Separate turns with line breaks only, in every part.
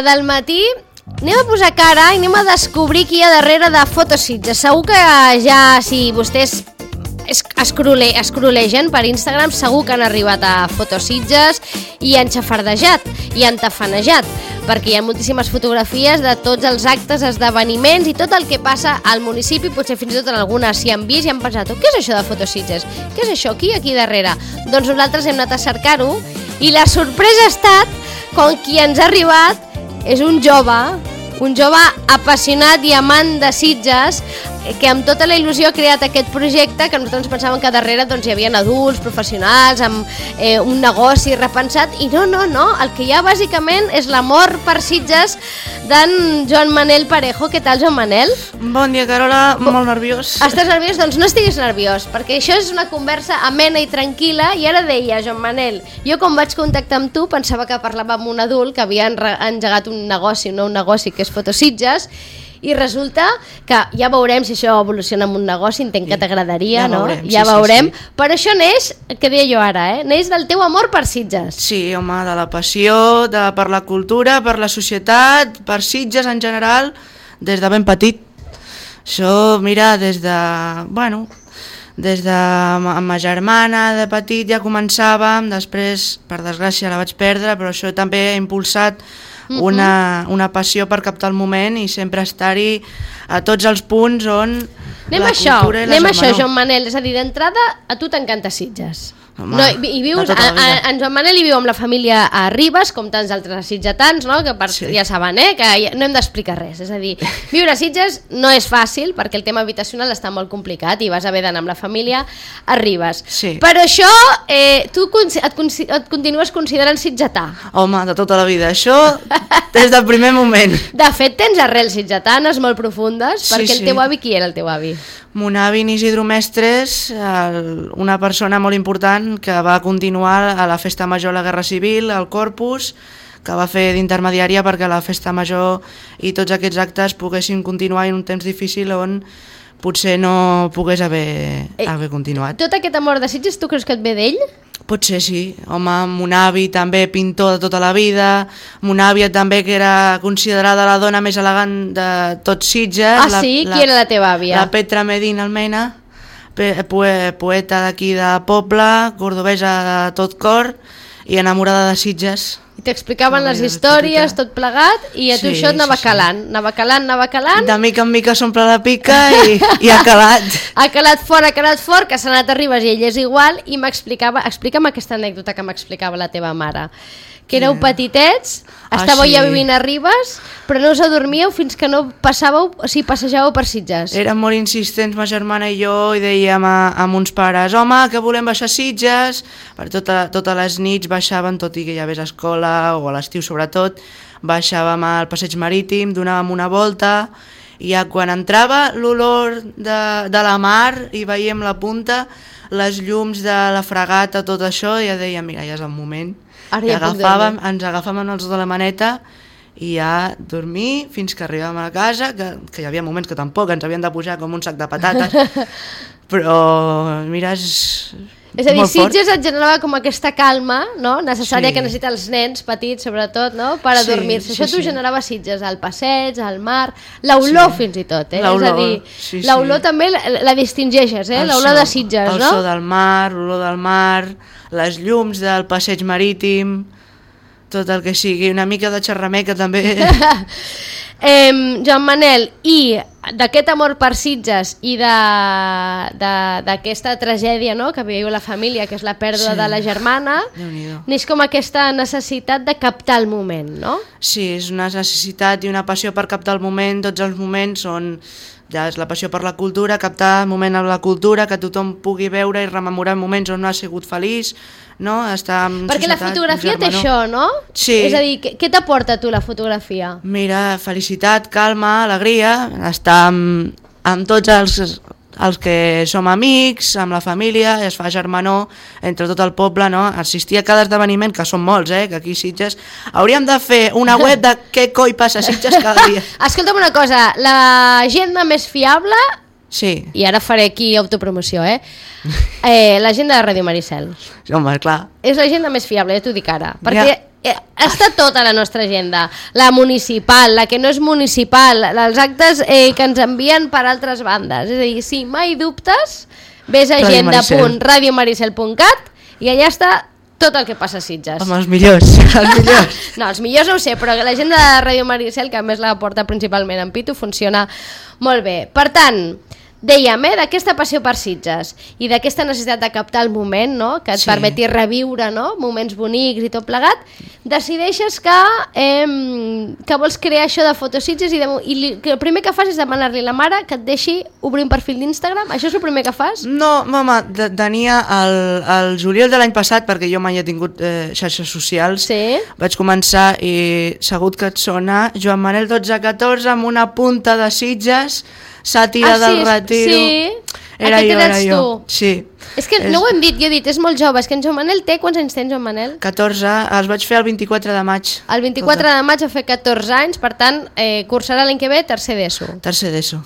Del matí, anem a posar cara i anem a descobrir qui hi ha darrere de Fotositges. Segur que ja, si vostès escrolegen per Instagram, segur que han arribat a Fotositges i han xafardejat i han tafanejat, perquè hi ha moltíssimes fotografies de tots els actes, esdeveniments i tot el que passa al municipi. Potser fins i tot en algunes s'hi han vist i han pensat: què és això de Fotositges? Què és això? Qui hi ha aquí darrere? Doncs nosaltres hem anat a cercar-ho i la sorpresa ha estat quan qui ens ha arribat és un jove apassionat i amant de Sitges, que amb tota la il·lusió ha creat aquest projecte, que nosaltres pensàvem que darrere hi havia adults, professionals, amb un negoci repensat, i no, el que hi ha bàsicament és l'amor per Sitges d'en Joan Manel Parejo. Què tal, Joan Manel?
Bon dia, Carola, molt nerviós.
Estàs nerviós? Doncs no estiguis nerviós, perquè això és una conversa amena i tranquil·la. I ara deia, Joan Manel, jo quan vaig contactar amb tu pensava que parlava amb un adult que havia engegat un nou negoci que és Fotositges, i resulta que ja veurem si això evoluciona en un negoci. Entenc que t'agradaria, no? Ja veurem. Sí. Però això neix, que deia jo ara, neix del teu amor per Sitges.
Sí, home, de la passió per la cultura, per la societat, per Sitges en general, des de ben petit. Això, mira, des de amb ma germana de petit ja començàvem, després, per desgràcia, la vaig perdre, però això també ha impulsat una passió per captar el moment i sempre estar-hi a tots els punts on la cultura i la
Anem a això, Joan Manel. És a dir, d'entrada, a tu t'encanta Sitges.
Home,
i vius, en Joan Manel hi viu amb la família a Ribes, com tants altres sitgetans, no? Que ja saben, que no hem d'explicar res. És a dir, viure a Sitges no és fàcil, perquè el tema habitacional està molt complicat i vas haver d'anar amb la família a Ribes.
Sí.
Però això, tu et continues considerant sitgetà?
Home, de tota la vida. Això des del primer moment.
De fet, tens arrels sitgetanes molt profundes, perquè el teu avi, qui era el teu avi?
Mon avi en Isidro Mestres, una persona molt important que va continuar a la Festa Major a la Guerra Civil, al Corpus, que va fer d'intermediària perquè la Festa Major i tots aquests actes poguessin continuar en un temps difícil on potser no pogués haver continuat.
Tot aquest amor de Sitges, tu creus que et ve d'ell?
Potser sí. Home, mon avi també pintor de tota la vida, mon àvia també, que era considerada la dona més elegant de tots Sitges.
Ah, sí? Qui era la teva àvia?
La Petra Medina Almena, poeta d'aquí de poble, cordobesa de tot cor i enamorada de Sitges.
I t'explicaven les històries, tot plegat, i a tu això et anava calant. Anava calant.
De mica en mica s'omple la pica i ha calat.
Ha calat fort, que s'ha anat a Ribes i ell és igual, i explica'm aquesta anècdota que m'explicava la teva mare. Que éreu petitets, estàveu ja vivint a Ribes, però no us adormíeu fins que no passejàveu per Sitges.
Érem molt insistents, ma germana i jo, i dèiem a uns pares: home, que volem baixar a Sitges. Per totes les nits baixàvem, tot i que hi havia escola, o a l'estiu sobretot, baixàvem al passeig marítim, donàvem una volta, i ja quan entrava l'olor de la mar i veiem la punta, les llums de la fragata, tot això, ja dèiem: mira, ja és el moment. Ens agafàvem els de la maneta i ja dormir fins que arribàvem a casa, que hi havia moments que tampoc ens havien de pujar com un sac de patates, però mira,
és a dir, Sitges et generava com aquesta calma, no? Necessària, que necessiten els nens petits, sobretot, no? Per adormir-se. Això t'ho generava Sitges, el passeig, el mar, l'olor fins i tot, És a dir, l'olor també la distingeixes, l'olor de Sitges, no?
El so del mar, les llums del passeig marítim, tot el que sigui, una mica de xerrameca també.
Joan Manel, i d'aquest amor per Sitges i d'aquesta tragèdia, no?, que viu la família, que és la pèrdua de la germana, neix com aquesta necessitat de captar el moment, no?
Sí, és una necessitat i una passió per captar el moment. Tots els moments són ja és la passió per la cultura, captar el moment amb la cultura, que tothom pugui veure i rememorar moments on no ha sigut feliç, no? Estar en
perquè
societat,
la fotografia té això, no?
Sí.
És a dir, què t'aporta a tu la fotografia?
Mira, felicitat, calma, alegria, estar amb tots els que som amics, amb la família, es fa germanor entre tot el poble, no? Assistir a cada esdeveniment, que són molts, que aquí a Sitges hauríem de fer una web de què coi passa a Sitges cada dia.
Escolta'm una cosa, l'agenda més fiable,
sí.
I ara faré aquí autopromoció, l'agenda de Ràdio Maricel.
Home, clar.
És l'agenda més fiable, ja t'ho dic ara, perquè està tota la nostra agenda, la municipal, la que no és municipal, els actes que ens envien per altres bandes. És a dir, si mai dubtes, ves a agenda.radiomaricel.cat i allà està tot el que passa a Sitges.
Home, els millors.
No, els millors no ho sé, però l'agenda de Ràdio Maricel, que a més la porta principalment en Pitu, funciona molt bé. Per tant, dèiem, d'aquesta passió per Sitges i d'aquesta necessitat de captar el moment, no? Que et permeti reviure, no? Moments bonics i tot plegat, decideixes que vols crear això de Fotositges i el primer que fas és demanar-li a la mare que et deixi obrir un perfil d'Instagram. Això és el primer que fas?
No, mama, tenia el juliol de l'any passat, perquè jo mai he tingut xarxes socials, vaig començar i segur que et sona Joan Manel 1214 amb una punta de Sitges, sàtira del retiro.
Sí,
era jo. Sí.
És que no ho hem dit, jo he dit, és molt jove. És que en Joan Manel té, quants anys tens, Joan Manel?
14, els vaig fer el 24 de maig.
El 24 de maig va fer 14 anys, per tant, cursarà l'any que ve tercer d'ESO.
Tercer d'ESO,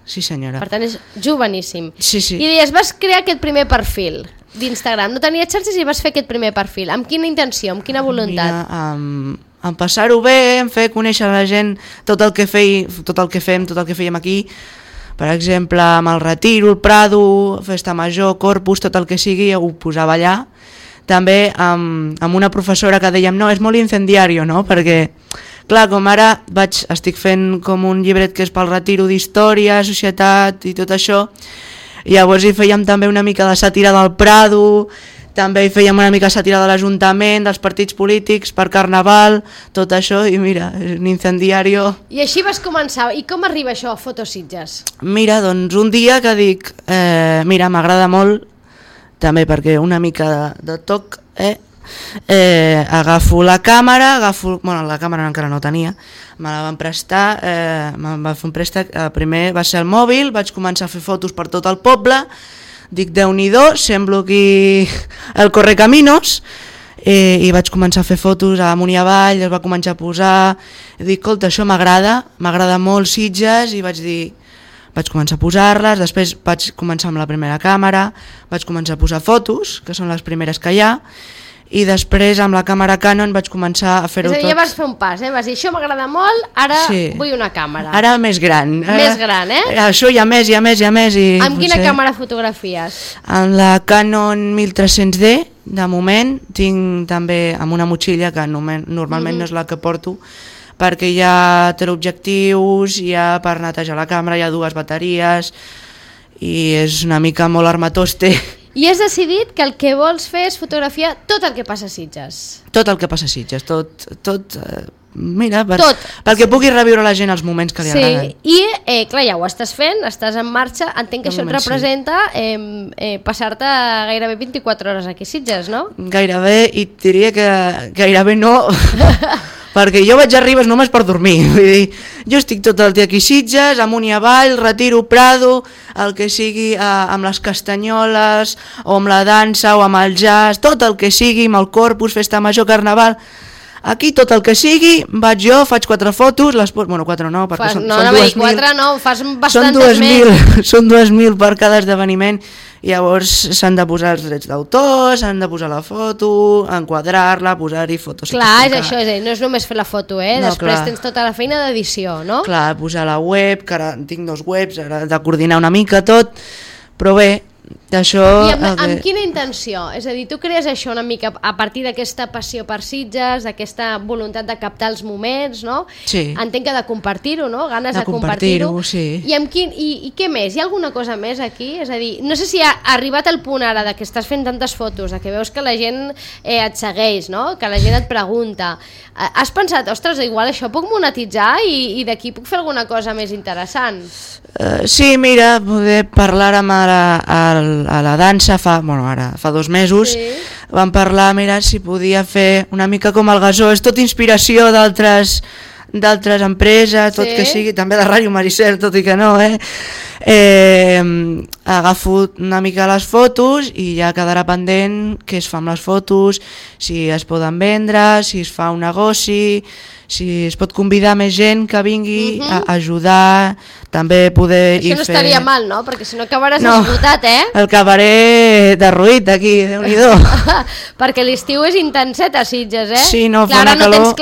sí senyora.
Per tant, és joveníssim.
Sí.
I deies, vas crear aquest primer perfil d'Instagram. No tenies xarxes i vas fer aquest primer perfil. Amb quina intenció, amb quina voluntat?
Mira, en passar-ho bé, en fer conèixer a la gent tot el que fèiem aquí. Per exemple, amb el Retiro, el Prado, Festa Major, Corpus, tot el que sigui, ho posava allà. També amb una professora que dèiem, no, és molt incendiario, no? Perquè, clar, com ara estic fent com un llibret que és pel Retiro d'història, societat i tot això, i llavors hi fèiem també una mica de sàtira del Prado, també hi fèiem una mica sàtira de l'Ajuntament, dels partits polítics, per Carnaval, tot això, i mira, és un incendiario.
I així vas començar. I com arriba això a Fotositges?
Mira, doncs un dia que dic, mira, m'agrada molt, també perquè una mica de toc, agafo la càmera, la càmera encara no tenia, me la van prestar, me'n va fer un préstec, primer va ser el mòbil, vaig començar a fer fotos per tot el poble. Dic, Déu-n'hi-do, semblo aquí el Correcaminos, i vaig començar a fer fotos amunt i avall, es va començar a posar, dic, escolta, això m'agrada molt Sitges, i vaig començar a posar-les, després vaig començar amb la primera càmera, vaig començar a posar fotos, que són les primeres que hi ha, i després amb la càmera Canon vaig començar a fer-ho tot.
És a dir, ja vas fer un pas, vas dir, això m'agrada molt, ara vull una càmera.
Ara més gran.
Més gran,
Això hi ha més.
Amb quina càmera fotografies?
Amb la Canon 1300D, de moment, tinc també amb una motxilla, que normalment no és la que porto, perquè hi ha teleobjectius, hi ha per netejar la càmera, hi ha 2 bateries, i és una mica molt armatoste.
I has decidit que el que vols fer és fotografiar tot el que passa a Sitges.
Tot el que passa a Sitges, tot mira, perquè pugui reviure la gent els moments que li agraden.
I clar, ja ho estàs fent, estàs en marxa, entenc que això et representa passar-te gairebé 24 hores aquí a Sitges, no?
Gairebé, i et diria que gairebé no, perquè jo vaig a Ribes només per dormir. Vull dir, jo estic tot el dia aquí a Sitges, amunt i avall, Retiro, Prado, el que sigui amb les castanyoles, o amb la dansa, o amb el jazz, tot el que sigui, amb el Corpus, Festa Major, Carnaval. Aquí tot el que sigui, vaig jo, faig 4 fotos, bueno, 4 no, perquè són 2.000.
4 no, fas bastantes més.
Són 2.000 per cada esdeveniment, i llavors s'han de posar els drets d'autor, s'han de posar la foto, enquadrar-la, posar-hi fotos.
Clar, és això, no és només fer la foto, després tens tota la feina d'edició, no?
Clar, posar la web, que ara tinc 2 webs, ara de coordinar una mica tot, però bé, d'això...
I amb quina intenció? És a dir, tu crees això una mica a partir d'aquesta passió per Sitges, d'aquesta voluntat de captar els moments, no?
Sí.
Entenc que de compartir-ho, no? Ganes de compartir-ho.
Sí.
I què més? Hi ha alguna cosa més aquí? És a dir, no sé si ha arribat el punt ara de que estàs fent tantes fotos, de que veus que la gent et segueix, no? Que la gent et pregunta. Has pensat, ostres, igual això puc monetitzar i d'aquí puc fer alguna cosa més interessant?
Sí, mira, poder parlar amb a la dansa fa 2 mesos, vam parlar, mira, si podia fer una mica com el Gasó, és tot inspiració d'altres d'altres empreses, tot que sigui, també de Ràdio Maricel, tot i que no, agafo una mica les fotos i ja quedarà pendent què es fa amb les fotos, si es poden vendre, si es fa un negoci, si es pot convidar més gent que vingui a ajudar, també poder
Això no
fer...
estaria mal, no? Perquè si no acabaràs esgotat,
El cabaré derruït aquí, Déu-n'hi-do.
Perquè l'estiu és intenset a Sitges,
Sí, no,
clar,
fa una calor.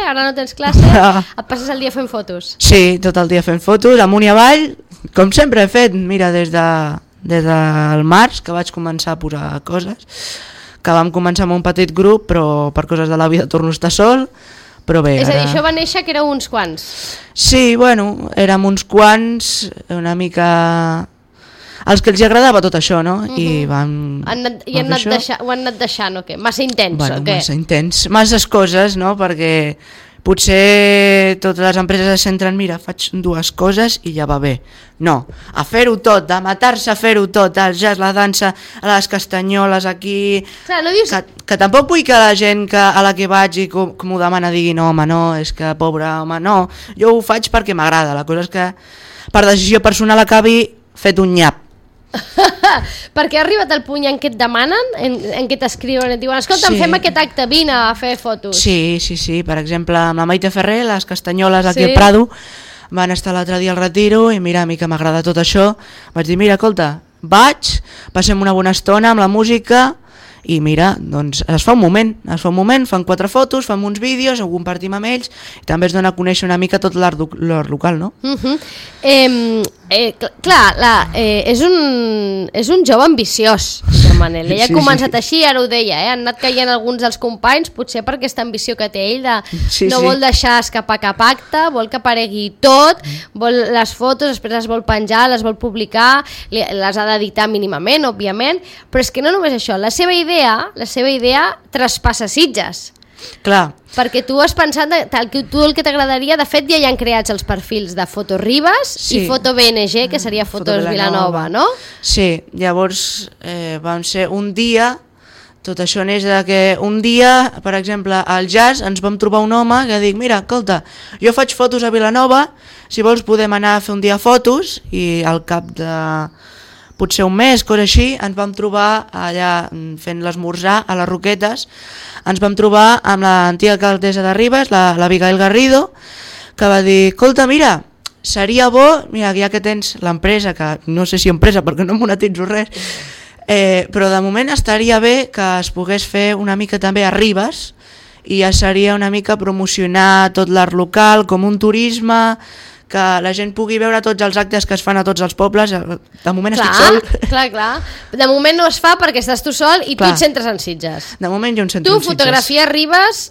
Ara no tens classe, et passes el dia fent fotos.
Sí, tot el dia fent fotos, amunt i avall, com sempre he fet, mira, des del març, que vaig començar a posar coses, que vam començar amb un petit grup, però per coses de la vida torno a estar sol, però bé,
És a dir, això va néixer que éreu uns quants.
Sí, bueno, érem uns quants, una mica... Els que els agradava tot això, no? I vam...
Ho han anat deixant, o què? Massa intens,
bueno,
o què?
Massa intens, masses coses, no? Perquè potser totes les empreses es centren, mira, faig dues coses i ja va bé. No, a fer-ho tot, de matar-se a fer-ho tot, el jazz, la dansa, les castanyoles aquí...
Clar, no dius...
Que tampoc vull que la gent a la que vaig i que m'ho demana digui no, home, no, és que pobre, home, no. Jo ho faig perquè m'agrada, la cosa és que per decisió personal acabi fet un nyap.
Perquè ha arribat el punt en què et demanen, en què t'escriuen, et diuen escolta, fem aquest acte, vine a fer fotos.
Sí, per exemple amb la Maite Ferrer, les castanyoles aquí al Prado van estar l'altre dia al Retiro i mira, a mi que m'agrada tot això, vaig dir mira, escolta, vaig, passem una bona estona amb la música i mira, doncs es fa un moment, fan 4 fotos, fan uns vídeos, ho compartim amb ells i també es dona a conèixer una mica tot l'art local, no?
Clar, és un jove ambiciós, Manel. Ell ha començat així, ara ho deia, han anat caient alguns dels companys, potser per aquesta ambició que té ell, no vol deixar escapar cap acte, vol que aparegui tot, vol les fotos, després les vol penjar, les vol publicar, les ha d'editar mínimament, òbviament, però és que no només això, la seva idea traspassa Sitges.
Clar.
Perquè tu has pensat, tu el que t'agradaria, de fet ja hi han creats els perfils de Foto Ribes i Foto BNG, que seria Fotos Vilanova, no?
Sí, llavors vam ser un dia, tot això neix de que un dia, per exemple, al jazz ens vam trobar un home que dic, mira, escolta, jo faig fotos a Vilanova, si vols podem anar a fer un dia fotos, i al cap de potser un mes, cosa així, ens vam trobar allà fent l'esmorzar a les Roquetes, ens vam trobar amb l'antiga alcaldessa de Ribes, la Abigail Garrido, que va dir, escolta, mira, seria bo, mira, ja que tens l'empresa, que no sé si empresa perquè no monetitzo res, però de moment estaria bé que es pogués fer una mica també a Ribes, i ja seria una mica promocionar tot l'art local com un turisme, que la gent pugui veure tots els actes que es fan a tots els pobles. De moment estic sol.
Clar. De moment no es fa perquè estàs tu sol i tu et centres en Sitges.
De moment jo em centro en Sitges.
Tu, fotografia Ribes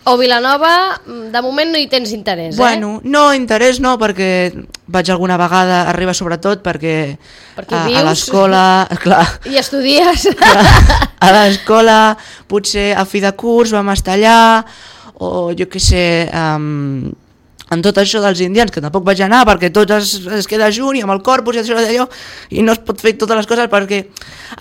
o Vilanova, de moment no hi tens interès,
Bueno, no, interès no, perquè vaig alguna vegada a Ribes sobretot perquè a l'escola... Clar.
I estudies.
A l'escola, potser a fi de curs vam estar allà, o jo què sé... en tot això dels indians, que tampoc vaig anar perquè tot es queda junt i amb el corpus i allò, i no es pot fer totes les coses perquè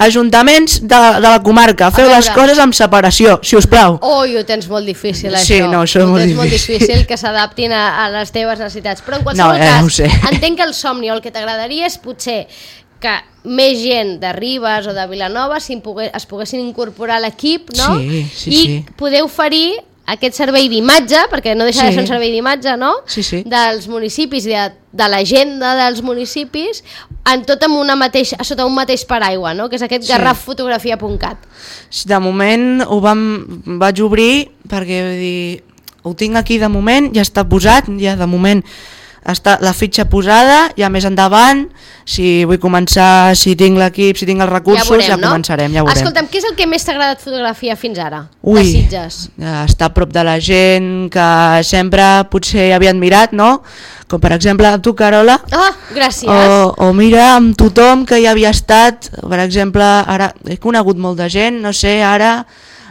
ajuntaments de la comarca, feu les coses amb separació, si us plau.
Ho tens molt difícil, això.
Sí, no, això és molt difícil.
Molt difícil que s'adaptin a les teves necessitats, però en qualsevol cas, entenc que el somni o el que t'agradaria és potser que més gent de Ribes o de Vilanova es poguessin incorporar a l'equip, no?
Sí.
I poder oferir aquest servei d'imatge, perquè no deixa de ser un servei d'imatge, no?
Sí.
Dels municipis i de l'agenda dels municipis sota un mateix paraigua, no? Que és aquest garraffotografia.cat.
De moment vaig obrir perquè ho tinc aquí de moment, ja està posat, ja de moment està la fitxa posada, ja més endavant, si vull començar, si tinc l'equip, si tinc els recursos, ja començarem, ja veurem.
Escolta'm, què és el que més t'ha agradat fotografiar fins ara, de Sitges?
Estar a prop de la gent, que sempre potser havia admirat, no? Com per exemple amb tu, Carola.
Gràcies.
O mira, amb tothom que hi havia estat, per exemple, ara he conegut molt de gent, no sé, ara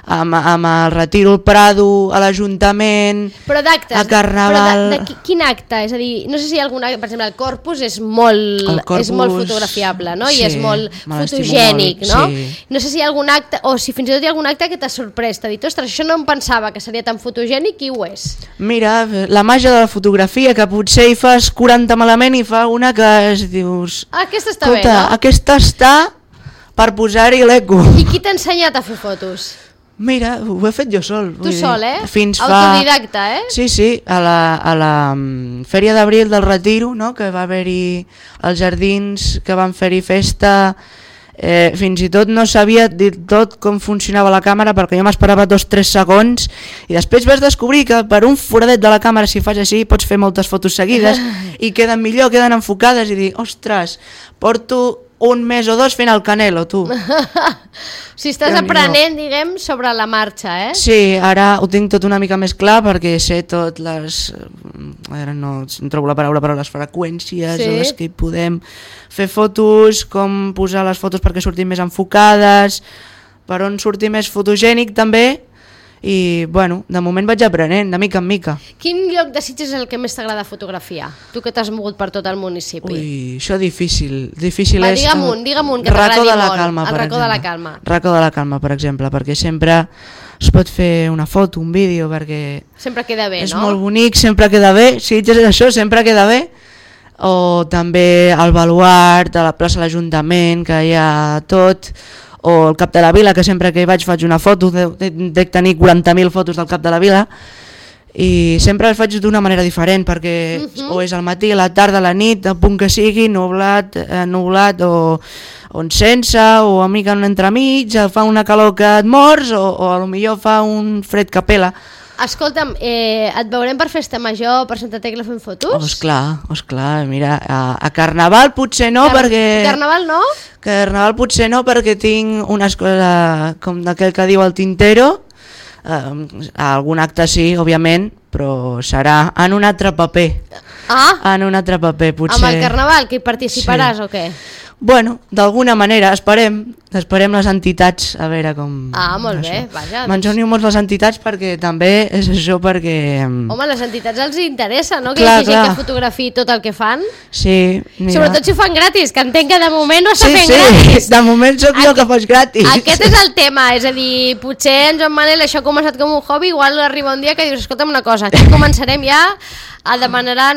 amb el Retiro al Prado, a l'Ajuntament, a Carnaval...
Però de quin acte? És a dir, no sé si hi ha alguna... Per exemple, el Corpus és molt fotografiable, no? I és molt fotogènic, no? No sé si hi ha algun acte, o si fins i tot hi ha algun acte que t'ha sorprès, t'ha dit, ostres, això no em pensava que seria tan fotogènic i ho és.
Mira, la màgia de la fotografia, que potser hi fas 40 malament i fa una que dius...
Aquesta està bé, no?
Aquesta està per posar-hi l'eco.
I qui t'ha ensenyat a fer fotos?
Mira, ho he fet jo sol.
Tu sol, eh?
Autodidacta, eh? Sí, a la Fèria d'Abril del Retiro, no? Que va haver-hi els jardins, que van fer-hi festa... fins i tot no sabia dir tot com funcionava la càmera, perquè jo m'esperava 2-3 segons i després vas descobrir que per un foradet de la càmera, si fas així, pots fer moltes fotos seguides i queden millor, queden enfocades, i dir, ostres, porto un mes o dos fent el Canelo, tu.
Si estàs aprenent, diguem, sobre la marxa, eh?
Sí, ara ho tinc tot una mica més clar perquè sé tot les... Ara no trobo la paraula, però les freqüències a les que hi podem fer fotos, com posar les fotos perquè surtin més enfocades, per on surti més fotogènic també. I, bueno, de moment vaig aprenent, de mica en mica.
Quin lloc de Sitges és el que més t'agrada fotografiar? Tu que t'has mogut per tot el municipi.
Ui, això difícil.
Va, digue'm un, que t'agradi molt. El Racó de la Calma.
Racó de la Calma, per exemple, perquè sempre es pot fer una foto, un vídeo, perquè...
Sempre queda bé,
és
no?
És molt bonic, sempre queda bé. Sitges és això, sempre queda bé. O també el baluart, a la plaça de l'Ajuntament, que hi ha tot... o el Cap de la Vila, que sempre que hi vaig faig una foto, dec tenir 40.000 fotos del Cap de la Vila, i sempre les faig d'una manera diferent, perquè o és al matí, a la tarda, a la nit, a punt que sigui, nublat o sense, o a mica un entremig, fa una calor que et mors, o a lo millor fa un fred que pela.
Escolta'm, et veurem per Festa Major, per Santa Tecla fent fotos?
Esclar, mira, a Carnaval potser no, perquè...
Carnaval no?
Carnaval potser no, perquè tinc unes coses com d'aquell que diu el Tintero, algun acte sí, òbviament, però serà en un altre paper. En un altre paper, potser.
Amb el Carnaval, que hi participaràs o què?
Bueno, d'alguna manera, esperem les entitats, a veure com...
Molt bé, vaja.
M'enjonio molt les entitats perquè també és això, perquè...
Home, les entitats els interessa, no? Que hi hagi gent que fotografiï tot el que fan.
Sí, mira.
Sobretot si ho fan gratis, que entenc que de moment no està fent gratis.
De moment soc jo que faig gratis.
Aquest és el tema, és a dir, potser en Joan Manel això ha començat com un hobby, igual arriba un dia que dius, escolta'm una cosa, aquí començarem ja a demanar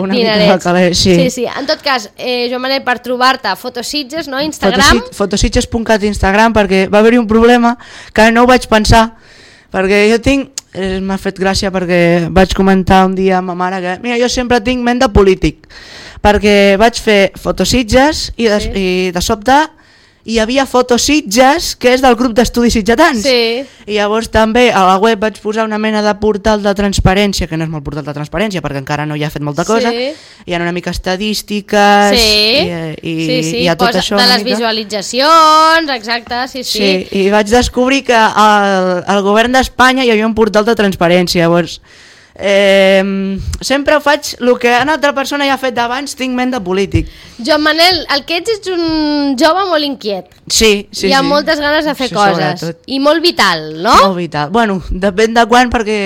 dinerets. Sí. En tot cas, Joan Manel, per trobar-te, Fotositges, no? Instagram.
Fotositges.cat Instagram, perquè va haver-hi un problema que no ho vaig pensar, perquè jo tinc... M'ha fet gràcia perquè vaig comentar un dia amb ma mare que mira, jo sempre tinc ment de polític, perquè vaig fer Fotositges i de sobte hi havia Fotositges, que és del grup d'estudis sitgetans. I llavors també a la web vaig posar una mena de portal de transparència, que no és molt portal de transparència perquè encara no hi ha fet molta cosa, hi ha una mica estadístiques i hi ha tot això.
De les visualitzacions, exacte, sí.
I vaig descobrir que al govern d'Espanya hi havia un portal de transparència, llavors... sempre faig el que una altra persona ja ha fet abans, tinc ment de polític.
Joan Manel, el que ets un jove molt inquiet.
Sí.
Hi ha moltes ganes de fer coses. I molt vital, no?
Molt vital. Bueno, depèn de quan, perquè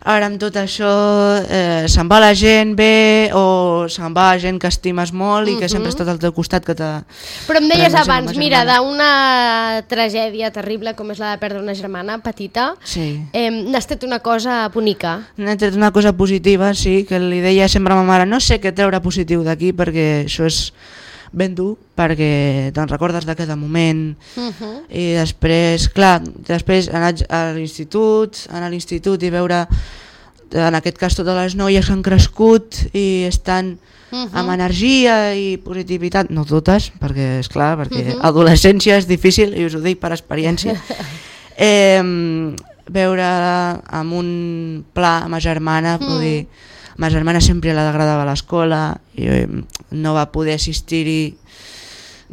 ara amb tot això se'n va la gent bé o se'n va gent que estimes molt i que sempre ha estat al teu costat.
Però em deies abans, mira, d'una tragèdia terrible com és la de perdre una germana petita, n'has tret una cosa bonica.
N'he tret una cosa positiva, sí, que li deia sempre a ma mare, no sé què treure positiu d'aquí perquè això és ben dur, perquè te'n recordes de cada moment i després, clar, anar a l'institut i veure, en aquest cas totes les noies que han crescut i estan amb energia i positivitat, no totes, perquè esclar, perquè adolescència és difícil i us ho dic per experiència, veure amb un pla amb ma germana, vull dir, ma germana sempre l'agradava a l'escola i no va poder assistir-hi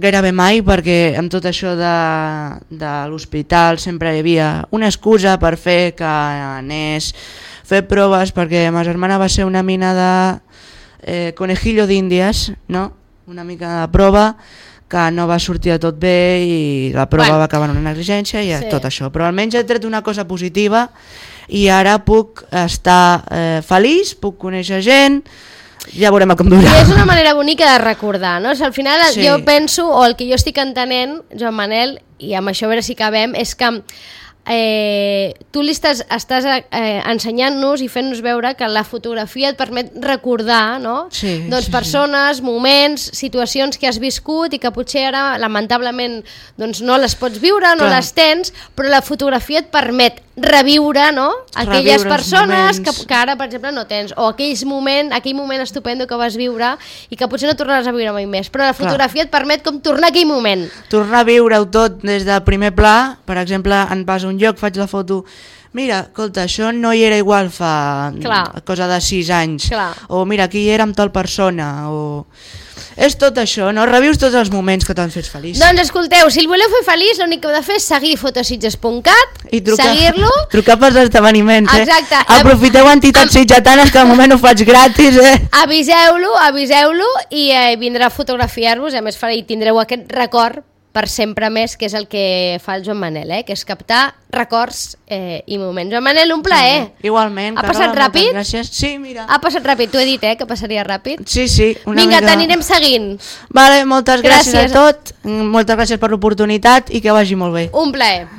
gairebé mai perquè amb tot això de l'hospital sempre hi havia una excusa per fer que anés fer proves, perquè ma germana va ser una mina de conejillo d'índies, no? Una mica de prova que no va sortir de tot bé i la prova va acabar en una negligència i tot això, però almenys he tret una cosa positiva i ara puc estar feliç, puc conèixer gent, ja veurem com durà.
I és una manera bonica de recordar, no? Al final jo penso, o el que jo estic entenent, Joan Manel, i amb això a veure si acabem, és que tu li estàs ensenyant-nos i fent-nos veure que la fotografia et permet recordar, no? Doncs persones, moments, situacions que has viscut i que potser ara lamentablement doncs no les pots viure, no les tens, però la fotografia et permet reviure, no? Aquelles persones que ara per exemple no tens, o aquell moment estupendo que vas viure i que potser no tornaràs a viure mai més, però la fotografia et permet com tornar a aquell moment,
tornar a viure-ho tot des del primer pla. Per exemple, en vas a un lloc, faig la foto, mira, escolta, això no hi era igual fa cosa de 6 anys, o mira, aquí hi era amb tal persona, o... És tot això, no? Revius tots els moments que t'han fet feliç.
Doncs escolteu, si el voleu fer feliç, l'únic que heu de fer és seguir fotositges.cat, seguir-lo...
Trucar pels esdeveniments,
Exacte.
Aprofiteu entitats sitgetanes que al moment ho faig gratis,
Aviseu-lo i vindrà a fotografiar-vos, a més tindreu aquest record per sempre més, que és el que fa el Joan Manel, que és captar records i moments. Joan Manel, un plaer.
Igualment.
Ha passat ràpid?
Gràcies. Sí, mira.
Ha passat ràpid, t'ho he dit, que passaria ràpid.
Sí,
Vinga, t'anirem seguint.
Vale, moltes gràcies a tot, moltes gràcies per l'oportunitat i que vagi molt bé.
Un plaer.